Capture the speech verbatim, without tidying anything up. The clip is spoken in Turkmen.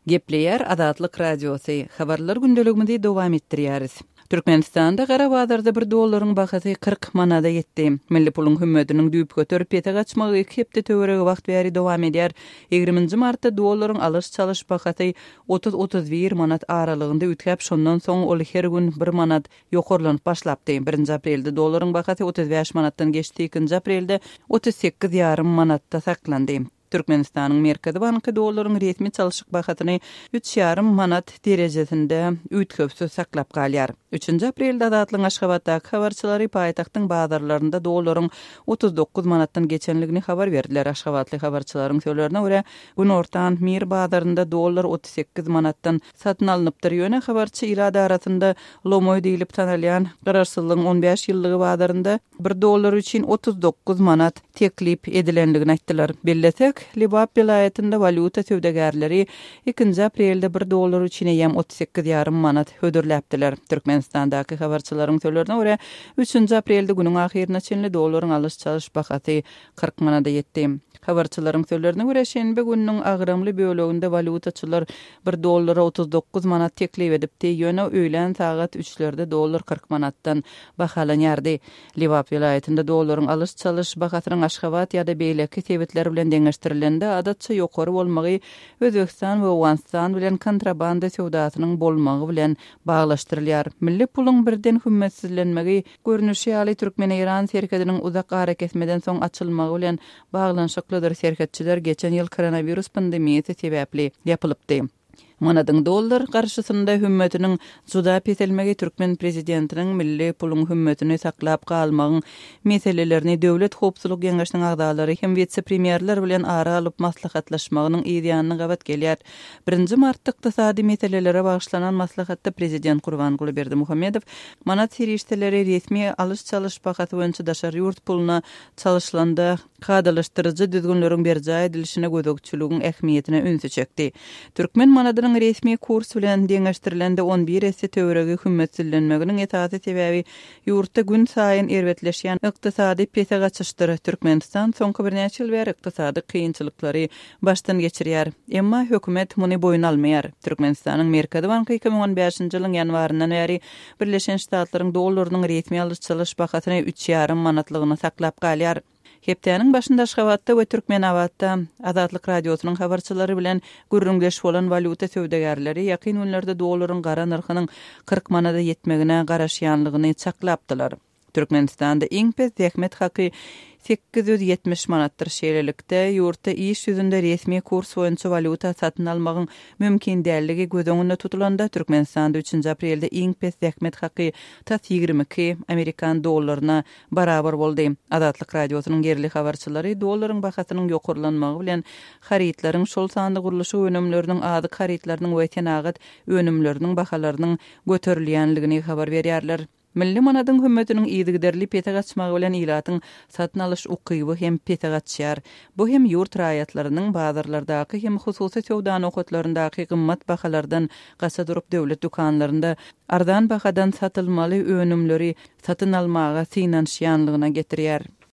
Gepleýär Azatlyk Radiosy. Habarlar gündeligimizi dowam etdirýäris. Türkmenistanda gara bazarda bir dollaryň bahasy kyrk manada ýetdi. Milli puluň hümmetiniň düýpgöter pese gaçmagy iki hepde töweregi wagt bäri dowam edýär. Ýigriminji martda dollaryň alyş-çalyş bahasy otuz-otuz bir manat aralygynda üýtgäp, şondan soň ol her gün bir manat ýokarlanyp başlapdy. Birinji aprelde dollaryň bahasy otuz bäş manatdan geçdi, ikinji aprelde otuz sekiz ýarym manatda saklandy. Türkmenistanyň Merkezi banky dollaryň resmi çalşyk bahasyny üç ýarym manat derejesinde üýtgewsiz saklap galýar. Üçünji aprelde Azatlygyň Aşgabatdaky habarçylary paýtagtyň bazarlarynda dollaryň otuz dokuz manatdan geçenligini habar berdiler. Aşgabatly habarçylaryň sözlerine görä, günortan Mir bazarynda dollar otuz sekiz manatdan satyn alnypdyr. Ýöne habarçy ilat arasynda lomoý diýlip tanalýan Garaşsyzlygyň on bäş ýyllygy bazarynda bir dollar üçin otuz dokuz manat teklip edilenligini aýtdylar. Bellesek, Lebap welaýatynda walýuta söwdagärleri ikinji aprelde bir dollar üçin eýýäm otuz sekiz ýarym manat hödürläpdiler. Türkmenistandaky habarçylaryň sözlerine görä, üçünji aprelde günüň ahyryna çenli dollaryň alyş-çalyş bahasy kyrk manada ýetdi. Habarçylaryň sözlerine görä, şenbe gününiň agramly böleginde walýutaçylar bir dollara otuz dokuz manat teklip edipdi, ýöne öýlän sagat üçlerde dollar kyrk manatdan bahalanýardy. Lebap welaýatynda dollaryň alyş-çalyş bahasynyň Aşgabat ýa-da beýleki sebitler bilen deňeşdirilende adatça ýokary bolmagy Özbegistan we Owganystan bilen kontrabanda söwdasynyň bolmagy bilen baglaşdyrylýar. Milli puluň birden hümmetsizlenmegi görnüşi ýaly Türkmen-Eýran serhediniň uzak arakesmeden soň açylmagy bilen baglanyşyklydyr. Serhetçiler geçen ýyl koronawirus pandemiýasy sebäpli ýapylypdy. Manadyň dollar garşysynda hümmetiniň juda peselmegi türkmen prezidentiniň milli puluň hümmetini saklap galmagyň meselelerini Döwlet howpsuzlyk geňeşiniň agzalary hem wise-premýerler bilen ara alyp maslahatlaşmagynyň yz ýanyna gabat gelýär. Birinji martda ykdysady meselelere bagyşlanan maslahatda prezident Gurbanguly Berdimuhamedow manat serişdeleri resmi alyş-çalyş bahasy boýunça daşary ýurt puluna çalyşylanda kadalaşdyryjy düzgünleriň berjaý edilişine gözegçiligiň ähmiýetine ünsi çekdi. Türkmen manadynyň resmi kurs bilen deňeşdirilende on bir esse töweregi hümmetsizlenmeginiň esasy sebäbi ýurtda gün saýyn erbetleşýän ykdysady pese gaçyşdyr. Türkmenistan soňky birnäçe ýyl bäri ykdysady kynçylyklary başdan geçirýär. Emma hökümet muny boýun almaýar. Türkmenistanyň Merkezi banky iki müň on bäşinji ýylyň ýanwaryndan bäri Birleşen Ştatlaryň dollarynyň resmi alyş-çalyş bahasyny üç ýarym manatlygyna saklap galýar. Hepdäniň başynda Aşgabatda we Türkmenabatda Azatlyk Radiosynyň habarçylary bilen gürrüňdeş bolan walýuta söwdagärleri ýakyn günlerde dollaryň gara nyrhynyň kyrk manada ýetmegine garaşýanlygyny çaklapdylar. Türkmenistanda iň pes zähmet haky sekiz ýüz ýetmiş manatdyr. Şeýlelikde, ýurtda iş ýüzünde resmi kurs boýunça walýuta satyn almagyň mümkin dälligi göz öňünde tutulanda, Türkmenistanda üçünji aprelde iň pes zähmet haky tas ýigrimi iki amerikan dollaryna barabar boldy. Azatlyk Radiosynyň ýerli habarçylary dollaryň bahasynyň ýokarlanmagy bilen harytlaryň, şol sanda gurluşyk önümleriniň, azyk harytlarynyň we senagat önümleriniň bahalarynyň göterilýänligini habar berýärler. Milli manadyň hümmetiniň yzygiderli pese gaçmagy bilen ilatyň satyn alyş ukyby hem pese gaçýar. Bu hem ýurt raýatlarynyň bazarlardaky hem hususy söwda nokatlaryndaky gymmat bahalardan gaça durup döwlet dükanlarynda arzan bahadan satylmaly önümleri satyn almaga synanyşýanlygyna getirýär.